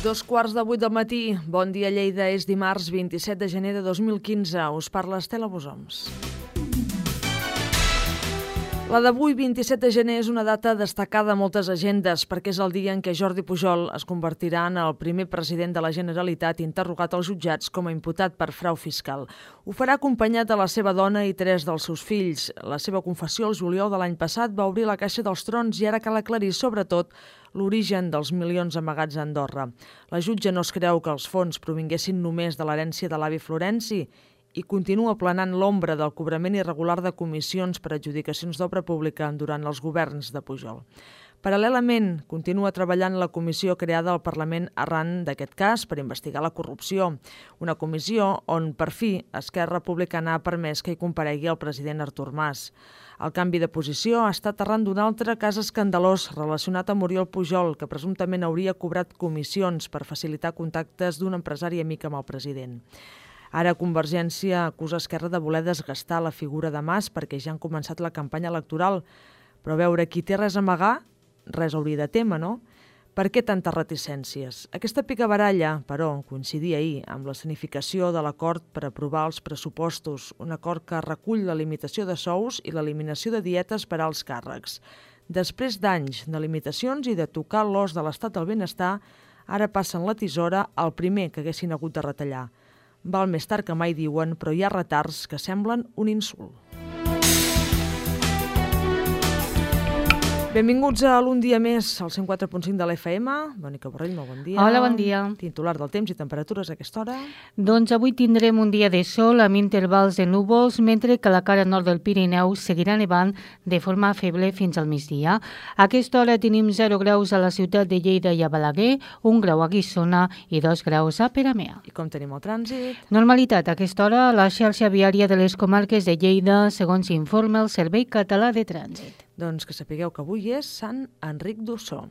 2:15 del matí. Bon dia, Lleida. És dimarts 27 de gener de 2015. Us parla Estela Bosoms. La d'avui, 27 de gener, és una data destacada a moltes agendes perquè és el dia en què Jordi Pujol es convertirà en el primer president de la Generalitat interrogat als jutjats com a imputat per frau fiscal. Ho farà acompanyat de la seva dona i 3 dels seus fills. La seva confessió el juliol de l'any passat va obrir la caixa dels trons i ara cal aclarir, sobretot, l'origen dels milions amagats a Andorra. La jutge no es creu que els fons provinguessin només de l'herència de l'avi Florenci i continua planant l'ombra del cobrament irregular de comissions per adjudicacions d'obra pública durant els governs de Pujol. Paral·lelament, continua treballant la comissió creada al Parlament arran d'aquest cas per investigar la corrupció. Una comissió on, per fi, Esquerra Republicana ha permès que hi comparegui el president Artur Mas. El canvi de posició ha estat arran d'un altre cas escandalós relacionat amb Oriol Pujol, que presumptament hauria cobrat comissions per facilitar contactes d'un empresari amic amb el president. Ara Convergència acusa Esquerra de voler desgastar la figura de Mas perquè ja han començat la campanya electoral. Però a veure, qui té res a amagar, res hauria de témer, no? Per què tantes reticències? Aquesta picabaralla, però, coincidia ahir amb l'escenificació de l'acord per aprovar els pressupostos, un acord que recull la limitació de sous i l'eliminació de dietes per als càrrecs. Després d'anys de limitacions i de tocar l'os de l'estat del benestar, ara passen la tisora al primer que haguessin hagut de retallar. Val més tard que mai, diuen, però hi ha retards que semblen un insult. Benvinguts a l'Un dia més, al 104.5 de l'FM. Mònica Borrell, molt bon dia. Hola, bon dia. Titular del temps i temperatures a aquesta hora. Doncs avui tindrem un dia de sol amb intervals de núvols, mentre que a la cara nord del Pirineu seguirà nevant de forma feble fins al migdia. A aquesta hora tenim 0 graus a la ciutat de Lleida i a Balaguer, 1 grau a Guissona i 2 graus a Peramea. I com tenim el trànsit? Normalitat a aquesta hora a la xarxa viària de les comarques de Lleida, segons informa el Servei Català de Trànsit. Doncs que sapigueu que avui és Sant Enric d'Ossó.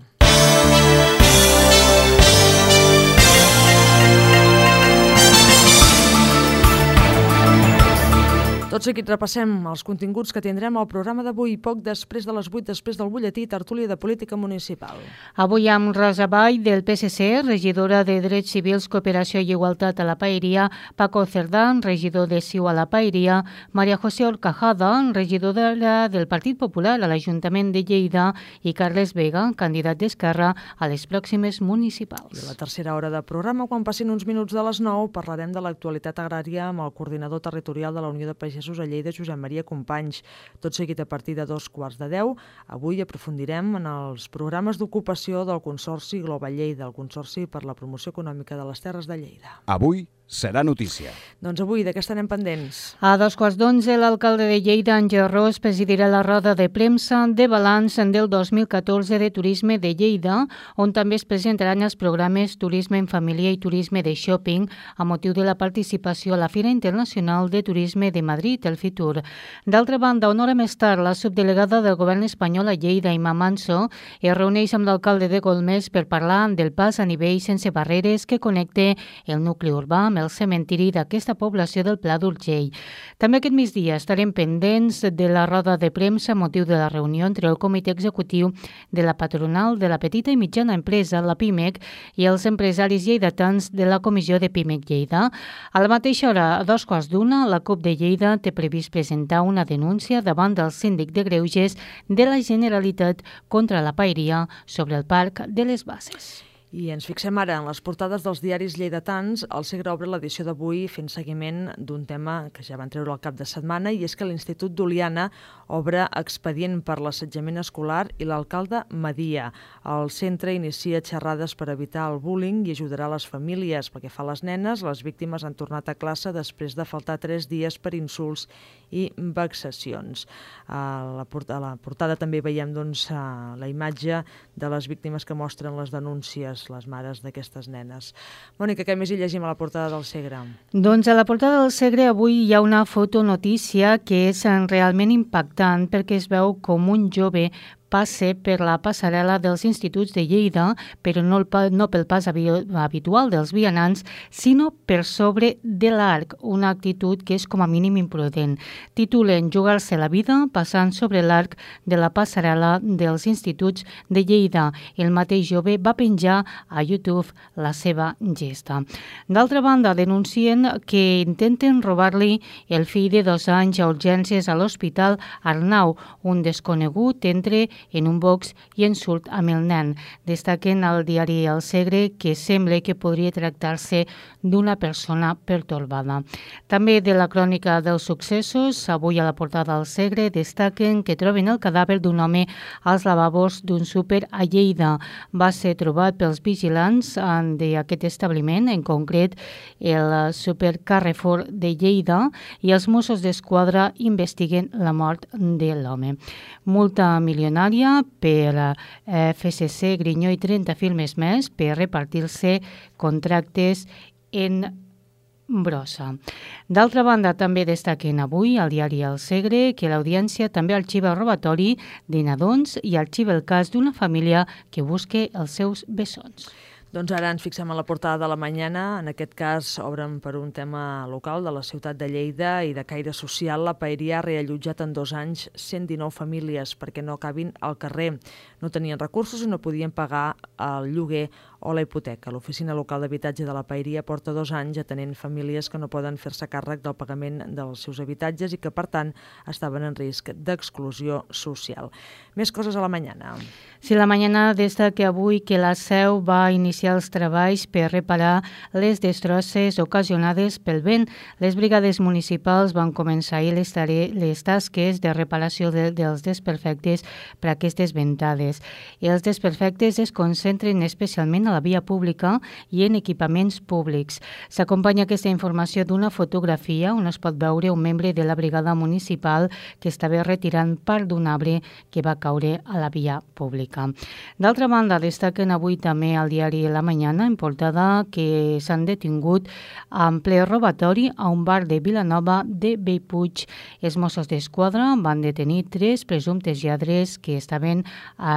Tot seguit repassem els continguts que tindrem al programa d'avui, poc després de les 8, després del butlletí tertúlia de política municipal. Avui amb Rosa Vall, del PSC, regidora de Drets Civils, Cooperació i Igualtat a la Paeria, Paco Cerdán, regidor de CiU a la Paeria, Maria José Orcajada, regidora del Partit Popular a l'Ajuntament de Lleida i Carles Vega, candidat d'Esquerra a les pròximes municipals. I a la tercera hora de programa, quan passin uns minuts de les 9, parlarem de l'actualitat agrària amb el coordinador territorial de la Unió de Pagesos a Lleida, Josep Maria Companys. Tot seguit a partir de 2:15. Avui aprofundirem en els programes d'ocupació del Consorci Global Lleida, el Consorci per la Promoció Econòmica de les Terres de Lleida. Avui serà notícia. Doncs avui, de què estarem pendents? A 2:15, l'alcalde de Lleida, Àngel Ros, presidirà la roda de premsa de balanç del 2014 de Turisme de Lleida, on també es presentaran els programes Turisme en Família i Turisme de Shopping a motiu de la participació a la Fira Internacional de Turisme de Madrid, el FITUR. D'altra banda, una hora més tard, la subdelegada del govern espanyol a Lleida, Imma Manso, es reuneix amb l'alcalde de Golmés per parlar del pas a nivell sense barreres que connecta el nucli urbà amb el cementiri d'aquesta població del Pla d'Urgell. També aquest migdia estarem pendents de la roda de premsa a motiu de la reunió entre el comitè executiu de la patronal de la petita i mitjana empresa, la PIMEC, i els empresaris lleidatans de la comissió de PIMEC Lleida. A la mateixa hora, a 2:15, la CUP de Lleida té previst presentar una denúncia davant del síndic de Greuges de la Generalitat contra la Paeria sobre el Parc de les Basses. I ens fixem ara en les portades dels diaris lleidatans. El Segre obre l'edició d'avui fent seguiment d'un tema que ja van treure al cap de setmana, i és que l'Institut d'Oliana obre expedient per l'assetjament escolar i l'alcalde media. El centre inicia xerrades per evitar el bullying i ajudarà les famílies. Pel que fa a les nenes, les víctimes han tornat a classe després de faltar 3 dies per insults i vexacions. A la portada també veiem la imatge de les víctimes que mostren les denúncies, les mares d'aquestes nenes. Mònica, què més hi llegim a la portada del Segre? Doncs a la portada del Segre avui hi ha una fotonotícia que és realment impactant perquè es veu com un jove passe per la passarel·la dels instituts de Lleida, però no pel pas habitual dels vianants, sinó per sobre de l'arc, una actitud que és com a mínim imprudent. Titulen Jugar-se la vida passant sobre l'arc de la passarel·la dels instituts de Lleida. El mateix jove va penjar a YouTube la seva gesta. D'altra banda, denuncien que intenten robar-li el fill de 2 anys a urgències a l'Hospital Arnau. Un desconegut entra en un box i insult amb el nen. Destaquen al diari El Segre que sembla que podria tractar-se d'una persona pertorbada. També de la crònica dels successos, avui a la portada del Segre destaquen que troben el cadàver d'un home als lavabos d'un súper a Lleida. Va ser trobat pels vigilants d'aquest establiment, en concret el súper Carrefour de Lleida, i els Mossos d'Esquadra investiguen la mort de l'home. Multa milionària per FCC, Grinyó i 30 firmes més per repartir-se contractes en brossa. D'altra banda, també destaquen avui al diari El Segre que l'audiència també arxiva el robatori de nadons i arxiva el cas d'una família que busca els seus bessons. Doncs ara ens fixem a la portada de La Mañana. En aquest cas obren per un tema local de la ciutat de Lleida i de caire social. La Paeria ha reallotjat en 2 anys 119 famílies perquè no acabin al carrer. No tenien recursos i no podien pagar el lloguer o la hipoteca. L'Oficina Local d'Habitatge de la Paeria porta 2 anys atenent famílies que no poden fer-se càrrec del pagament dels seus habitatges i que, per tant, estaven en risc d'exclusió social. Més coses a La Mañana. Sí, La Mañana destaca avui que la Seu va iniciar els treballs per reparar les destrosses ocasionades pel vent. Les brigades municipals van començar ahir les tasques de reparació dels desperfectes per aquestes ventades. Els desperfectes es concentren especialment a la via pública i en equipaments públics. S'acompanya aquesta informació d'una fotografia on es pot veure un membre de la brigada municipal que estava retirant part d'un arbre que va caure a la via pública. D'altra banda, destaquen avui també al diari La Mañana en portada que s'han detingut en ple robatori a un bar de Vilanova de Bellpuig. Els Mossos d'Esquadra van detenir 3 presumptes lladres que estaven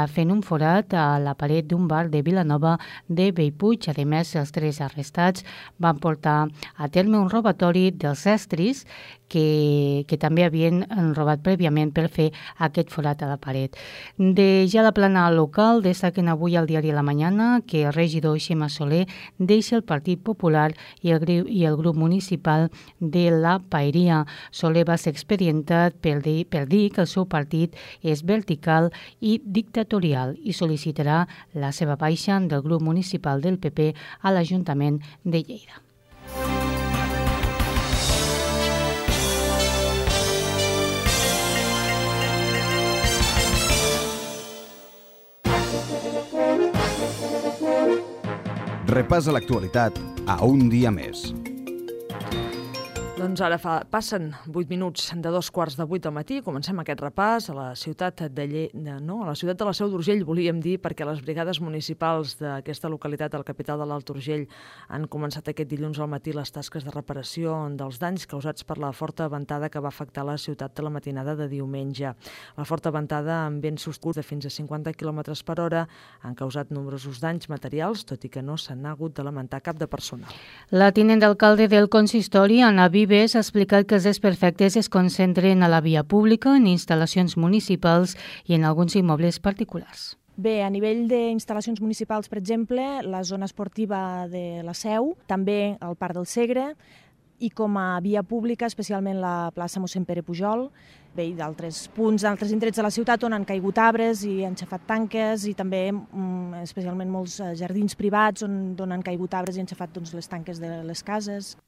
fent un forat a la paret d'un bar de Vilanova de Bellpuig. A més, els 3 arrestats van portar a terme un robatori dels estris que també havien robat prèviament per fer aquest forat a la paret. De ja la plana local, destaquen avui al diari La Mañana que el regidor Xema Soler deixa el Partit Popular i el grup municipal de la Paeria. Soler va ser expedientat per dir que el seu partit és vertical i dictatorial i sol·licitarà la seva baixa del grup municipal del PP a l'Ajuntament de Lleida. Repassa l'actualitat a un dia més. Doncs ara passen 8 minuts de 2:15 del matí. Comencem aquest repàs a la ciutat de la Seu d'Urgell, volíem dir, perquè les brigades municipals d'aquesta localitat, la capital de l'Alt Urgell, han començat aquest dilluns al matí les tasques de reparació dels danys causats per la forta ventada que va afectar la ciutat de la matinada de diumenge. La forta ventada, amb vents sostinguts de fins a 50 km/h, han causat nombrosos danys materials, tot i que no s'han hagut de lamentar cap de personal. La tinent d'alcalde del consistori, Anna Vives, ha explicat que els desperfectes es concentren a la via pública, en instal·lacions municipals i en alguns immobles particulars. Bé, a nivell d'instal·lacions municipals, per exemple, la zona esportiva de la Seu, també el Parc del Segre, i com a via pública, especialment la plaça Mossèn Pere Pujol, bé, i d'altres punts, d'altres indrets de la ciutat on han caigut arbres i han xafat tanques, i també especialment molts jardins privats on han caigut arbres i han xafat les tanques de les cases.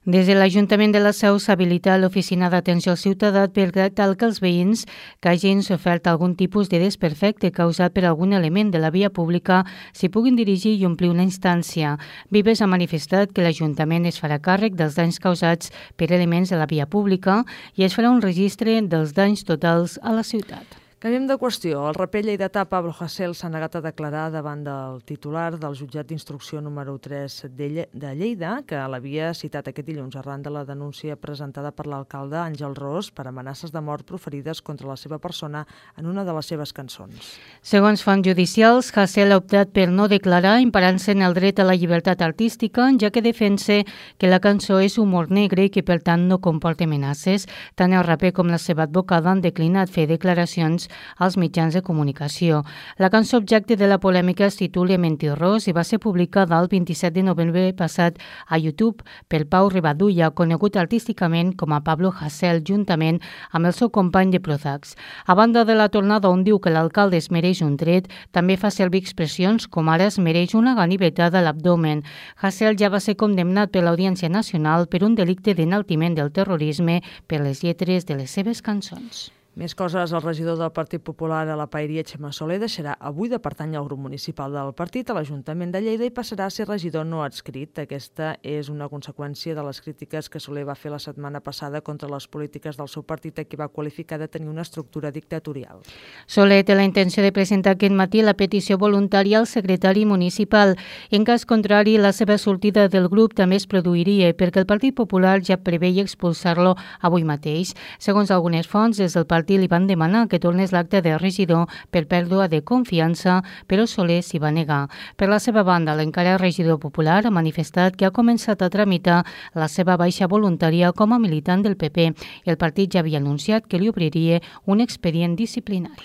Des de l'Ajuntament de la Seu s'ha habilitat l'Oficina d'Atenció al Ciutadà per tal que els veïns que hagin sofert algun tipus de desperfecte causat per algun element de la via pública s'hi puguin dirigir i omplir una instància. Vives ha manifestat que l'Ajuntament es farà càrrec dels danys causats per elements de la via pública i es farà un registre dels danys totals a la ciutat. Canviem de qüestió. El raper lleidatà Pablo Hasél s'ha negat a declarar davant del titular del jutjat d'instrucció número 3 de Lleida, que l'havia citat aquest dilluns arran de la denúncia presentada per l'alcalde Àngel Ros per amenaces de mort proferides contra la seva persona en una de les seves cançons. Segons fonts judicials, Hasél ha optat per no declarar, emparant-se en el dret a la llibertat artística, ja que defensa que la cançó és humor negre i que per tant no comporta amenaces. Tant el raper com la seva advocada han declinat fer declaracions als mitjans de comunicació. La cançó objecte de la polèmica es titula Mentirós i va ser publicada el 27 de novembre passat a YouTube per Pau Ribadulla, conegut artísticament com a Pablo Hasél, juntament amb el seu company de Prozacs. A banda de la tornada on diu que l'alcalde es mereix un tret, també fa servir expressions com ara es mereix una ganivetada a l'abdomen. Hasél ja va ser condemnat per l'Audiència Nacional per un delicte d'enaltiment del terrorisme per les lletres de les seves cançons. Més coses, el regidor del Partit Popular a la Paeria, Xema Soler, deixarà avui de pertànyer al grup municipal del partit a l'Ajuntament de Lleida i passarà a ser regidor no adscrit. Aquesta és una conseqüència de les crítiques que Soler va fer la setmana passada contra les polítiques del seu partit, que va qualificar de tenir una estructura dictatorial. Soler té la intenció de presentar aquest matí la petició voluntària al secretari municipal. En cas contrari, la seva sortida del grup també es produiria perquè el Partit Popular ja preveia expulsar-lo avui mateix. Segons algunes fonts, des del partit li van demanar que tornés l'acte de regidor per pèrdua de confiança, però Soler s'hi va negar. Per la seva banda, l'encara regidor popular ha manifestat que ha començat a tramitar la seva baixa voluntària com a militant del PP. El partit ja havia anunciat que li obriria un expedient disciplinari.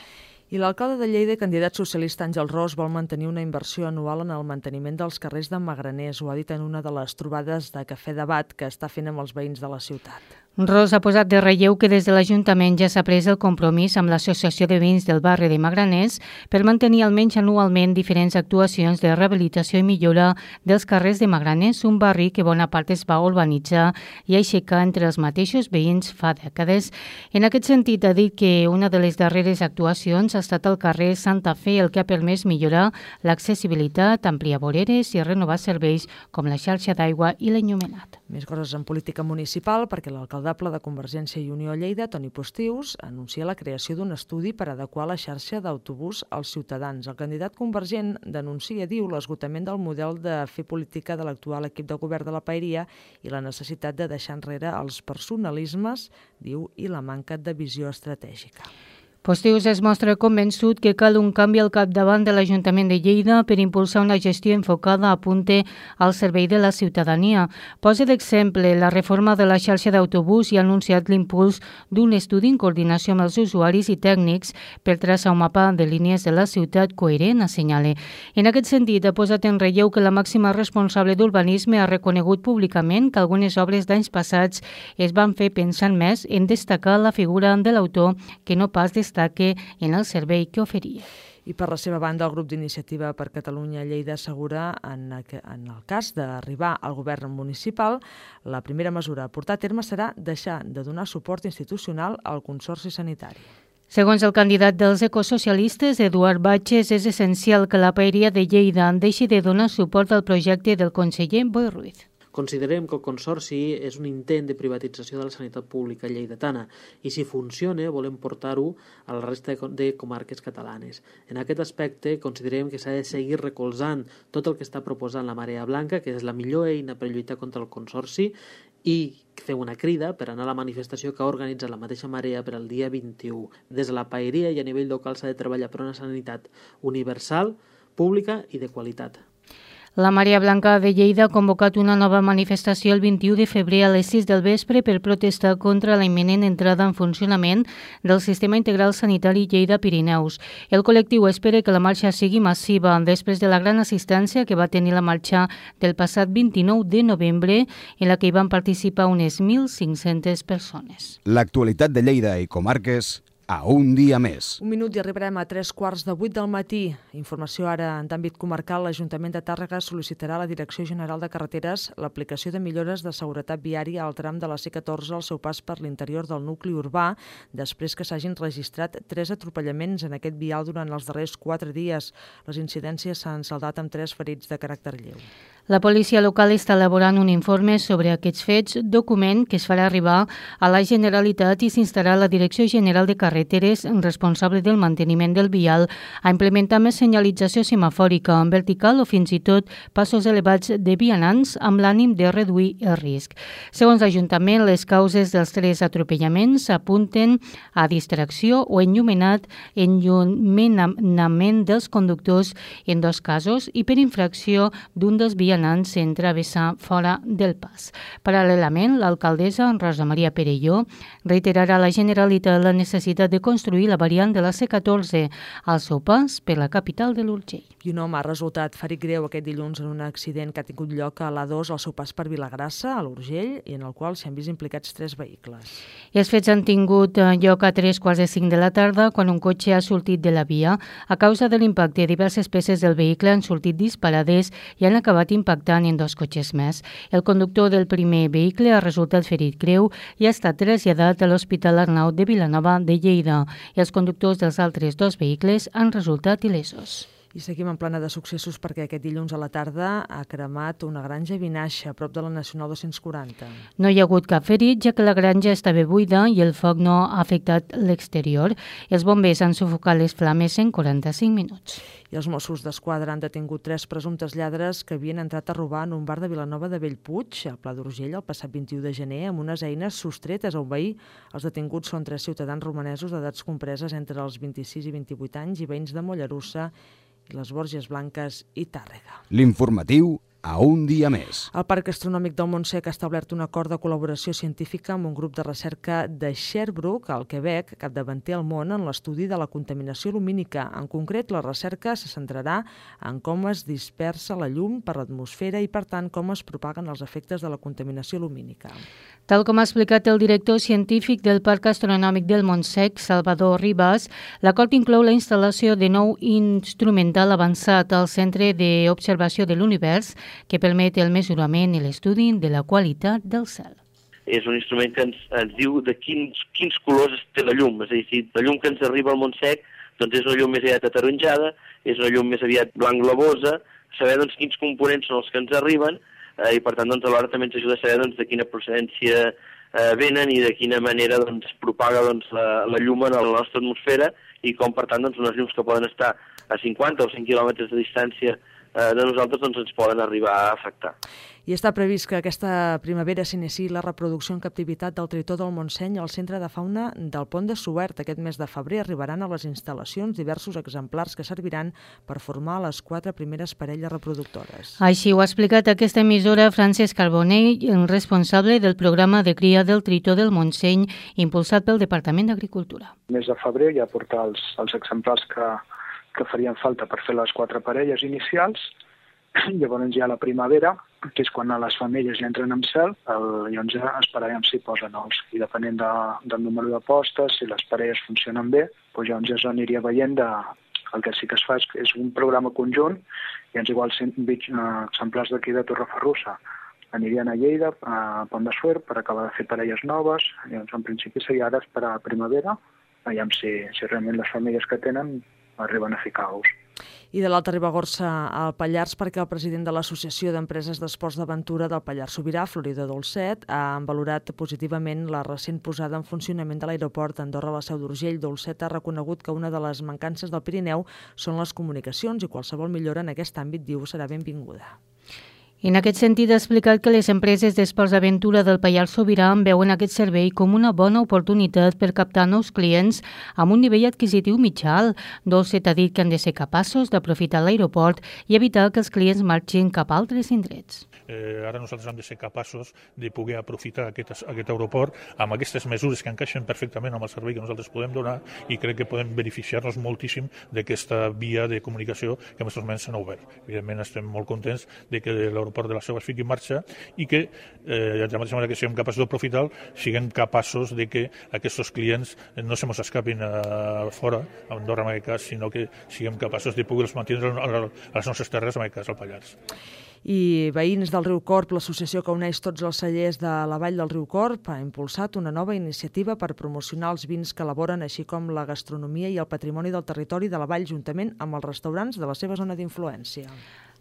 I l'alcalde de Lleida, candidat socialista Àngel Ros, vol mantenir una inversió anual en el manteniment dels carrers de Magraners. Ho ha dit en una de les trobades de cafè debat que està fent amb els veïns de la ciutat. Ros ha posat de relleu que des de l'Ajuntament ja s'ha pres el compromís amb l'Associació de Veïns del barri de Magraners per mantenir almenys anualment diferents actuacions de rehabilitació i millora dels carrers de Magraners, un barri que bona part es va urbanitzar i aixecar entre els mateixos veïns fa dècades. En aquest sentit, ha dit que una de les darreres actuacions ha estat al carrer Santa Fe, el que ha permès millorar l'accessibilitat, ampliar voreres i renovar serveis com la xarxa d'aigua i l'enllumenat. Més coses en política municipal, perquè l'alcaldable de Convergència i Unió a Lleida, Toni Postius, anuncia la creació d'un estudi per adequar la xarxa d'autobús als ciutadans. El candidat convergent denuncia, diu, l'esgotament del model de fer política de l'actual equip de govern de la Paeria i la necessitat de deixar enrere els personalismes, diu, i la manca de visió estratègica. Postius es mostra convençut que cal un canvi al capdavant de l'Ajuntament de Lleida per impulsar una gestió enfocada a punte al servei de la ciutadania. Posa d'exemple la reforma de la xarxa d'autobús i ha anunciat l'impuls d'un estudi en coordinació amb els usuaris i tècnics per traçar un mapa de línies de la ciutat coherent, assenyala. En aquest sentit, ha posat en relleu que la màxima responsable d'urbanisme ha reconegut públicament que algunes obres d'anys passats es van fer pensant més en destacar la figura de l'autor que no pas destaque en el servei que oferia. I per la seva banda, el grup d'Iniciativa per Catalunya Lleida assegura en el cas d'arribar al govern municipal, la primera mesura a portar a terme serà deixar de donar suport institucional al Consorci Sanitari. Segons el candidat dels ecosocialistes, Eduard Batges, és essencial que la Paeria de Lleida deixi de donar suport al projecte del conseller Boi Ruiz. Considerem que el Consorci és un intent de privatització de la sanitat pública lleidatana i si funciona volem portar-ho a la resta de comarques catalanes. En aquest aspecte considerem que s'ha de seguir recolzant tot el que està proposant la Marea Blanca, que és la millor eina per lluitar contra el Consorci, i fer una crida per anar a la manifestació que ha organitzat la mateixa Marea per al dia 21. Des de la Paeria i a nivell local s'ha de treballar per una sanitat universal, pública i de qualitat. La Marea Blanca de Lleida ha convocat una nova manifestació el 21 de febrer a les 6 del vespre per protestar contra la imminent entrada en funcionament del Sistema Integral Sanitari Lleida-Pirineus. El col·lectiu espera que la marxa sigui massiva després de la gran assistència que va tenir la marxa del passat 29 de novembre, en la que hi van participar unes 1.500 persones. L'actualitat de Lleida i comarques a un dia més. Un minut i arribarem a 7:45 del matí. Informació ara en d'àmbit comarcal. L'Ajuntament de Tàrrega sol·licitarà a la Direcció General de Carreteres l'aplicació de millores de seguretat viària al tram de la C14 al seu pas per l'interior del nucli urbà, després que s'hagin registrat 3 atropellaments en aquest vial durant els darrers 4 dies. Les incidències s'han saldat amb 3 ferits de caràcter lleu. La policia local està elaborant un informe sobre aquests fets, document que es farà arribar a la Generalitat i s'instarà la Direcció General de Carreteres, responsable del manteniment del vial, a implementar més senyalització semafòrica en vertical o fins i tot passos elevats de vianants amb l'ànim de reduir el risc. Segons l'Ajuntament, les causes dels 3 atropellaments apunten a distracció o enllumenament dels conductors en 2 casos i per infracció d'un dels vianants en travessar fora del pas. Paral·lelament, l'alcaldessa Rosa Maria Perelló reiterarà a la Generalitat la necessitat de construir la variant de la C14 al seu pas per la capital de l'Urgell. I un home ha resultat ferit greu aquest dilluns en un accident que ha tingut lloc a l'A2 al seu pas per Vilagrassa, a l'Urgell, i en el qual s'hi han vist implicats 3 vehicles. I els fets han tingut lloc a 3:45 de la tarda, quan un cotxe ha sortit de la via. A causa de l'impacte, diverses peces del vehicle han sortit disparades i han acabat impactant en 2 cotxes més. El conductor del primer vehicle ha resultat ferit greu i ha estat traslladat a l'Hospital Arnau de Vilanova de Lleida i els conductors dels altres 2 vehicles han resultat il·lesos. I seguim en plana de successos perquè aquest dilluns a la tarda ha cremat una granja a Vinaixa, a prop de la Nacional 240. No hi ha hagut cap ferit, ja que la granja estava buida i el foc no ha afectat l'exterior. Els bombers han sufocat les flames en 45 minuts. I els Mossos d'Esquadra han detingut 3 presumptes lladres que havien entrat a robar en un bar de Vilanova de Bellpuig, al Pla d'Urgell, el passat 21 de gener, amb unes eines sostretes a un veí. Els detinguts són 3 ciutadans romanesos d'edats compreses entre els 26 i 28 anys i veïns de Mollerussa i les Borges Blanques i Tàrrega. L'informatiu a un dia més. El Parc Astronòmic del Montsec ha establert un acord de col·laboració científica amb un grup de recerca de Sherbrooke, al Quebec, capdavanter al món en l'estudi de la contaminació lumínica. En concret, la recerca se centrarà en com es dispersa la llum per l'atmosfera i, per tant, com es propaguen els efectes de la contaminació lumínica. Tal com ha explicat el director científic del Parc Astronòmic del Montsec, Salvador Ribas, l'acord inclou la instal·lació de nou instrumental avançat al Centre d'Observació de l'Univers, que permet el mesurament i l'estudi de la qualitat del cel. És un instrument que ens diu de quins colors té la llum. És a dir, si la llum que ens arriba al Montsec doncs és una llum més aviat ataronjada, és una llum més aviat blanc glavosa, saber doncs, quins components són els que ens arriben i per tant doncs, alhora també ens ajuda a saber doncs, de quina procedència venen i de quina manera doncs, es propaga doncs, la llum en la nostra atmosfera i com per tant doncs, unes llums que poden estar a 50 o 100 quilòmetres de distància de nosaltres doncs, ens poden arribar a afectar. I està previst que aquesta primavera s'iniciï la reproducció en captivitat del tritó del Montseny al Centre de Fauna del Pont de Suert. Aquest mes de febrer arribaran a les instal·lacions diversos exemplars que serviran per formar les 4 primeres parelles reproductores. Així ho ha explicat aquesta emissora Francesc Carbonell, responsable del programa de cria del tritó del Montseny impulsat pel Departament d'Agricultura. El mes de febrer ja portar els exemplars que farien falta per fer les 4 parelles inicials. Llavors ja a la primavera, que és quan les femelles ja entren en cel, llavors ja esperarem si posen ous. I depenent del número de postes, si les parelles funcionen bé, doncs llavors ja s'aniria veient el que sí que es fa és un programa conjunt, i ens igual 120 exemplars d'aquí de Torreferrussa anirien a Lleida, a Pont de Suert, per acabar de fer parelles noves. Llavors en principi seria ara esperar a primavera, veiem si realment les famílies que tenen arriben a ficar ous. I de l'Alta Ribagorça al Pallars, perquè el president de l'Associació d'Empreses d'Esports d'Aventura del Pallars Sobirà, Florida Dolcet, ha valorat positivament la recent posada en funcionament de l'aeroport Andorra a la Seu d'Urgell. Dolcet ha reconegut que una de les mancances del Pirineu són les comunicacions i qualsevol millora en aquest àmbit, diu, serà benvinguda. En aquest sentit, ha explicat que les empreses d'esports d'aventura del Pallars Sobirà veuen aquest servei com una bona oportunitat per captar nous clients amb un nivell adquisitiu mitjà alt. Dolcet ha dit que han de ser capaços d'aprofitar l'aeroport i evitar que els clients marxin cap a altres indrets. Ara nosaltres hem de ser capaços de poder aprofitar aquest aeroport amb aquestes mesures que encaixen perfectament amb el servei que nosaltres podem donar i crec que podem beneficiar-nos moltíssim d'aquesta via de comunicació que en aquests moments s'ha obert. Evidentment estem molt contents de que l'aeroport de la Seu es fiqui en marxa i que, de la mateixa manera que siguem capaços d'aprofitar, siguem capaços de que aquests clients no se mos escapin fora, a Andorra en aquest cas, sinó que siguem capaços de poder-los mantenir a les nostres terres, en aquest cas al Pallars. I veïns del Riu Corb, l'associació que uneix tots els cellers de la Vall del Riu Corb, ha impulsat una nova iniciativa per promocionar els vins que elaboren, així com la gastronomia i el patrimoni del territori de la Vall, juntament amb els restaurants de la seva zona d'influència.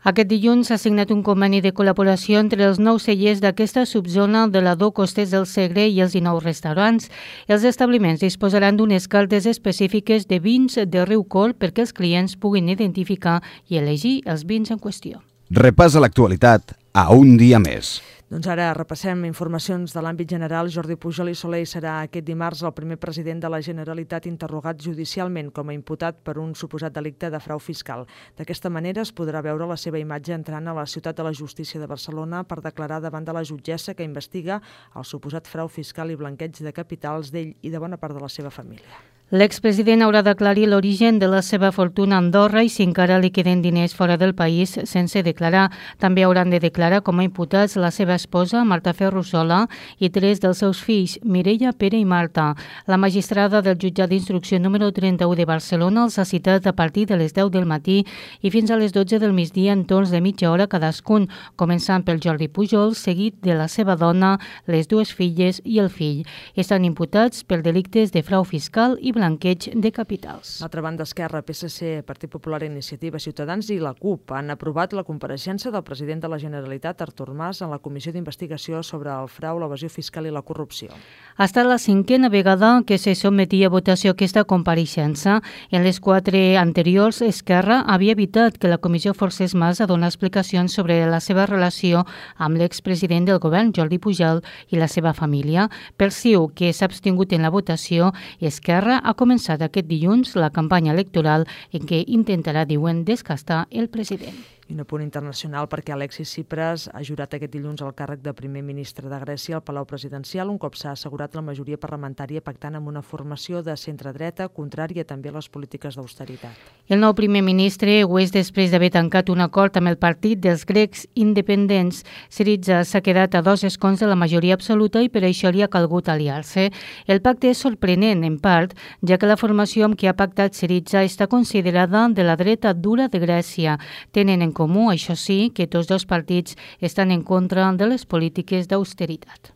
Aquest dilluns s'ha signat un conveni de col·laboració entre els 9 cellers d'aquesta subzona de la Do Costers del Segre i els 19 restaurants. Els establiments disposaran d'unes cartes específiques de vins de Riu Corb perquè els clients puguin identificar i elegir els vins en qüestió. Repassa l'actualitat a un dia més. Doncs ara repassem informacions de l'àmbit general. Jordi Pujol i Soler serà aquest dimarts el primer president de la Generalitat interrogat judicialment com a imputat per un suposat delicte de frau fiscal. D'aquesta manera es podrà veure la seva imatge entrant a la Ciutat de la Justícia de Barcelona per declarar davant de la jutgessa que investiga el suposat frau fiscal i blanqueig de capitals d'ell i de bona part de la seva família. L'expresident haurà d'aclarir l'origen de la seva fortuna a Andorra i si encara li queden diners fora del país sense declarar. També hauran de declarar com a imputats la seva esposa, Marta Ferrusola, i 3 dels seus fills, Mireia, Pere i Marta. La magistrada del jutjat d'instrucció número 31 de Barcelona els ha citat a partir de les 10 del matí i fins a les 12 del migdia en torns de mitja hora cadascun, començant pel Jordi Pujol, seguit de la seva dona, les 2 filles i el fill. Estan imputats per delictes de frau fiscal i blanqueig de capitals. L'altra banda, Esquerra, PSC, Partit Popular, Iniciativa, Ciutadans i la CUP han aprovat la compareixença del president de la Generalitat, Artur Mas, en la Comissió d'Investigació sobre el frau, l'evasió fiscal i la corrupció. Ha estat la 5a vegada que se sotmetia a votació aquesta compareixença. En les 4 anteriors, Esquerra havia evitat que la comissió forcés Mas a donar explicacions sobre la seva relació amb l'expresident del govern, Jordi Pujol, i la seva família. Per CiU, que s'ha abstingut en la votació, Esquerra ha començat aquest dilluns la campanya electoral en què intentarà, diuen, desgastar el president. I un punt internacional perquè Alexis Tsipras ha jurat aquest dilluns el càrrec de primer ministre de Grècia al Palau Presidencial, un cop s'ha assegurat la majoria parlamentària pactant amb una formació de centre-dreta contrària també a les polítiques d'austeritat. El nou primer ministre ho és després d'haver tancat un acord amb el partit dels grecs independents. Syriza s'ha quedat a 2 escons de la majoria absoluta i per això li ha calgut aliar-se. El pacte és sorprenent, en part, ja que la formació amb què ha pactat Syriza està considerada de la dreta dura de Grècia. Tenen en comú, això sí, que tots dos partits estan en contra de les polítiques d'austeritat.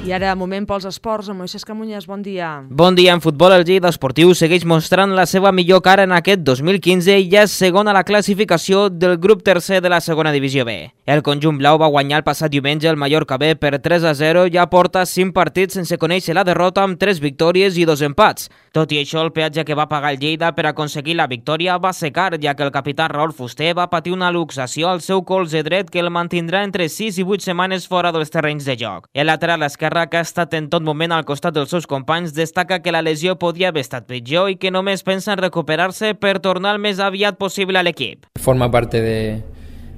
I ara, moment pels esports, amb Moisés Camuñas, bon dia. Bon dia. En futbol, el Lleida Esportiu segueix mostrant la seva millor cara en aquest 2015 i ja és segon a la classificació del grup tercer de la segona divisió B. El conjunt blau va guanyar el passat diumenge el Mallorca B per 3-0 i ja porta 5 partits sense conèixer la derrota amb 3 victòries i 2 empats. Tot i això, el peatge que va pagar el Lleida per aconseguir la victòria va ser car, ja que el capità Raúl Fuster va patir una luxació al seu colze dret que el mantindrà entre 6 i 8 setmanes fora dels terrenys de joc. El lateral esquerre, que ha estat en tot moment al costat dels seus companys, destaca que la lesió podia haver estat pitjor i que només pensa en recuperar-se per tornar el més aviat possible a l'equip. Forma parte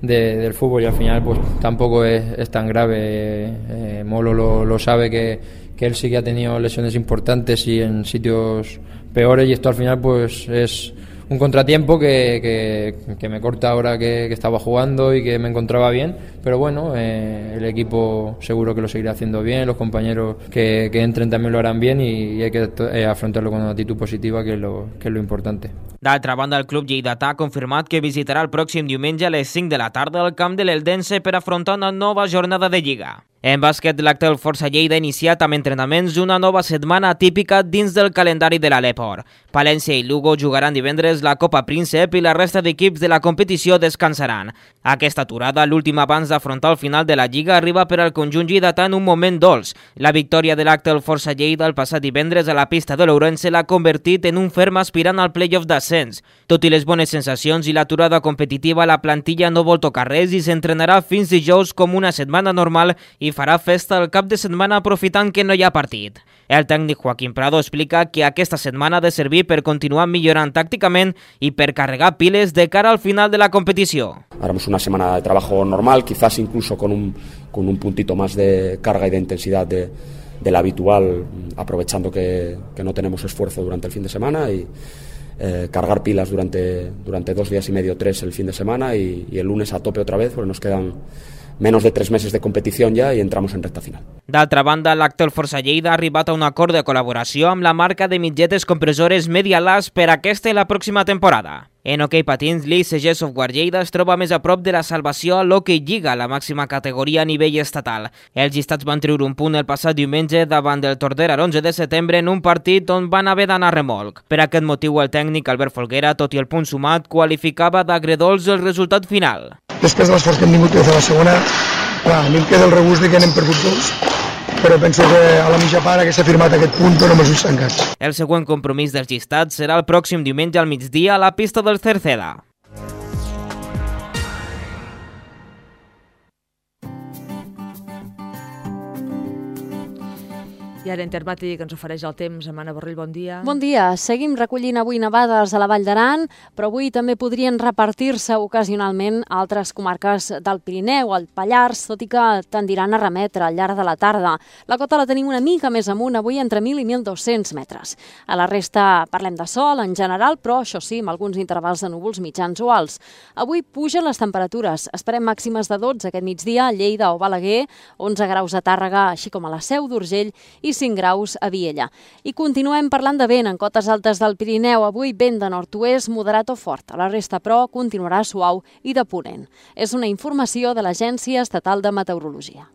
del fútbol y al final pues tampoco es tan grave. Molo lo sabe que él sí que ha tenido lesiones importantes y en sitios peores y esto al final pues es un contratiempo que me corta ahora que estaba jugando y que me encontraba bien, pero bueno, el equipo seguro que lo seguirá haciendo bien, los compañeros que entren también lo harán bien y hay que afrontarlo con una actitud positiva, que es lo importante. D'altra banda, el club lleidatà ha confirmat que visitarà el pròxim diumenge a les 5 de la tarda el camp de l'Eldense per afrontar una nova jornada de Lliga. En bàsquet, l'Actel Força Lleida ha iniciat amb entrenaments una nova setmana atípica dins del calendari de l'Aleport. Palència i Lugo jugaran divendres la Copa Príncep i la resta d'equips de la competició descansaran. Aquesta aturada, l'última abans d'afrontar el final de la Lliga, arriba per al conjunt lleidatà en un moment dolç. La victòria de l'Actel Força Lleida el passat divendres a la pista de l'Ourense l'ha convertit en un ferm aspirant al play-off d'ascens. Tot i les bones sensacions i l'aturada competitiva, la plantilla no vol tocar res i s'entrenarà fins dijous com una setmana normal i farà festa el cap de setmana aprofitant que no hi ha partit. El tècnic Joaquín Prado explica que aquesta setmana ha de servir per continuar millorant tàcticament y per cargar piles de cara al final de la competició. Haremos una semana de trabajo normal, quizás incluso con un puntito más de carga y de intensidad del habitual, aprovechando que no tenemos esfuerzo durante el fin de semana y cargar pilas durante 2 días y medio, 3 el fin de semana y el lunes a tope otra vez, porque nos quedan menos de 3 meses de competición ja i entramos en recta final. D'altra banda, l'acte del Força Lleida ha arribat a un acord de col·laboració amb la marca de mitgetes compressores Medialast per aquesta i la pròxima temporada. En hoquei patins, l'ICG Software Lleida es troba més a prop de la salvació a l'Hockey Lliga, la màxima categoria a nivell estatal. Els llistats van treure un punt el passat diumenge davant del Tordera l'11 de setembre en un partit on van haver d'anar remolc. Per aquest motiu, el tècnic Albert Folguera, tot i el punt sumat, qualificava d'agredolç el resultat final. Després de l'esforç que hem tingut des de la segona, a mi em queda el regust de que n'hem perdut 2, però penso que a la mitja part que s'ha firmat aquest punt, però amb els ulls tancats. El següent compromís dels llistats serà el pròxim diumenge al migdia a la pista del Cerceda. I ara Intermàtic ens ofereix el temps. Amana Borrell, bon dia. Bon dia. Seguim recollint avui nevades a la Vall d'Aran, però avui també podrien repartir-se ocasionalment a altres comarques del Pirineu, al Pallars, tot i que tendiran a remetre al llarg de la tarda. La cota la tenim una mica més amunt, avui entre 1.000 i 1.200 metres. A la resta parlem de sol en general, però això sí, amb alguns intervals de núvols mitjans o alts. Avui pugen les temperatures. Esperem màximes de 12 aquest migdia a Lleida o Balaguer, 11 graus a Tàrrega, així com a la Seu d'Urgell i 5 graus a Viella. I continuem parlant de vent en cotes altes del Pirineu. Avui vent de nord-oest moderat o fort. A la resta, però, continuarà suau i de ponent. És una informació de l'Agència Estatal de Meteorologia.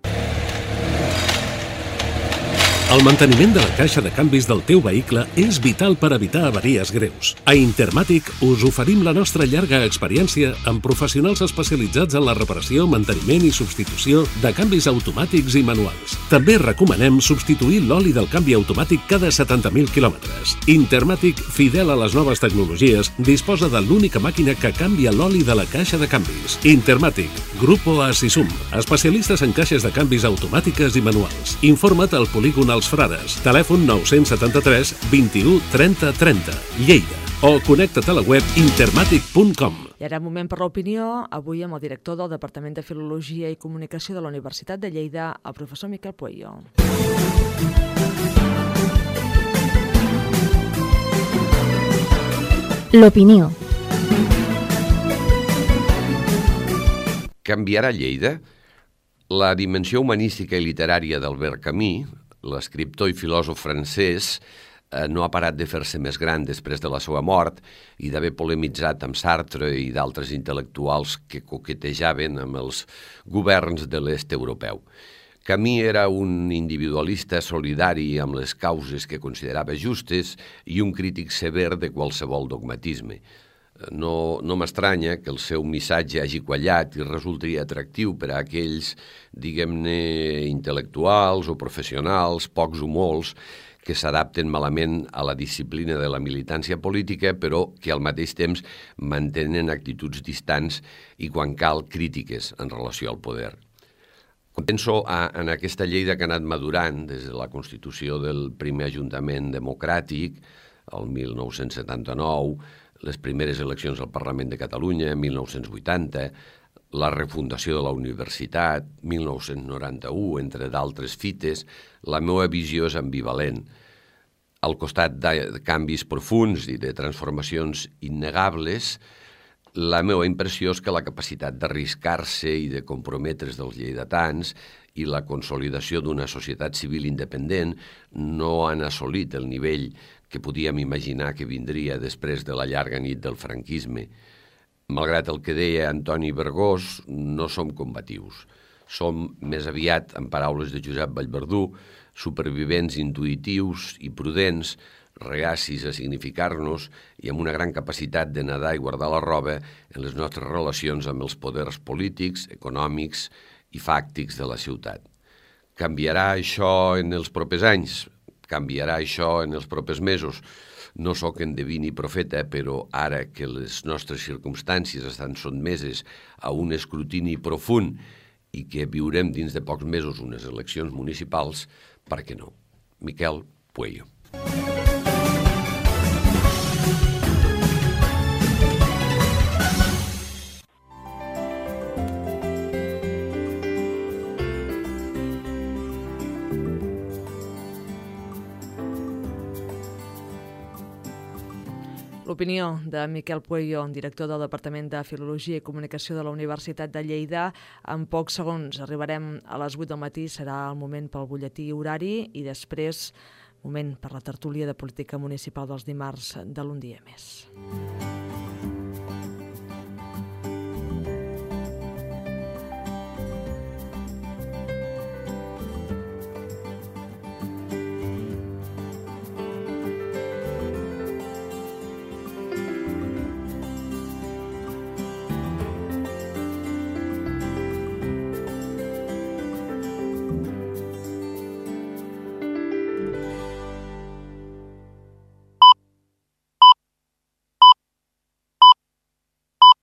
El manteniment de la caixa de canvis del teu vehicle és vital per evitar avaries greus. A Intermàtic us oferim la nostra llarga experiència amb professionals especialitzats en la reparació, manteniment i substitució de canvis automàtics i manuals. També recomanem substituir l'oli del canvi automàtic cada 70.000 quilòmetres. Intermàtic, fidel a les noves tecnologies, disposa de l'única màquina que canvia l'oli de la caixa de canvis. Intermàtic, Grupo Asisum, especialistes en caixes de canvis automàtiques i manuals. Informa't al polígon Els Frares, telèfon 973 21 30 30, Lleida, o connecta't a la web intermatic.com. I ara moment per l'opinió, avui amb el director del Departament de Filologia i Comunicació de la Universitat de Lleida, el professor Miquel Pueyo. L'opinió. Canviarà Lleida? La dimensió humanística i literària d'Albert Camus, l'escriptor i filòsof francès, no ha parat de fer-se més gran després de la seva mort i d'haver polemitzat amb Sartre i d'altres intel·lectuals que coquetejaven amb els governs de l'est europeu. Camus era un individualista solidari amb les causes que considerava justes i un crític sever de qualsevol dogmatisme. No m'estranya que el seu missatge hagi quallat i resulti atractiu per a aquells, diguem-ne, intel·lectuals o professionals, pocs o molts, que s'adapten malament a la disciplina de la militància política, però que al mateix temps mantenen actituds distants i, quan cal, crítiques en relació al poder. Penso en aquesta Lleida que ha anat madurant des de la constitució del primer Ajuntament democràtic, el 1979, les primeres eleccions al Parlament de Catalunya, 1980, la refundació de la universitat, 1991, entre d'altres fites. La meva visió és ambivalent. Al costat de canvis profuns i de transformacions innegables, la meva impressió és que la capacitat d'arriscar-se i de comprometre's dels lleidatans i la consolidació d'una societat civil independent no han assolit el nivell que podíem imaginar que vindria després de la llarga nit del franquisme. Malgrat el que deia Antoni Vergós, no som combatius. Som, més aviat, en paraules de Josep Vallverdú, supervivents intuïtius i prudents, reacis a significar-nos i amb una gran capacitat de nedar i guardar la roba en les nostres relacions amb els poders polítics, econòmics i fàctics de la ciutat. Canviarà això en els propers anys? Canviarà això en els propers mesos? No sóc endeví ni profeta, però ara que les nostres circumstàncies estan sotmeses a un escrutini profund i que viurem dins de pocs mesos unes eleccions municipals, per què no? Miquel Pueyo. L'opinió de Miquel Pueyo, director del Departament de Filologia i Comunicació de la Universitat de Lleida. En pocs segons arribarem a les 8 del matí, serà el moment pel butlletí horari i després moment per la tertúlia de política municipal dels dimarts de l'Un dia més.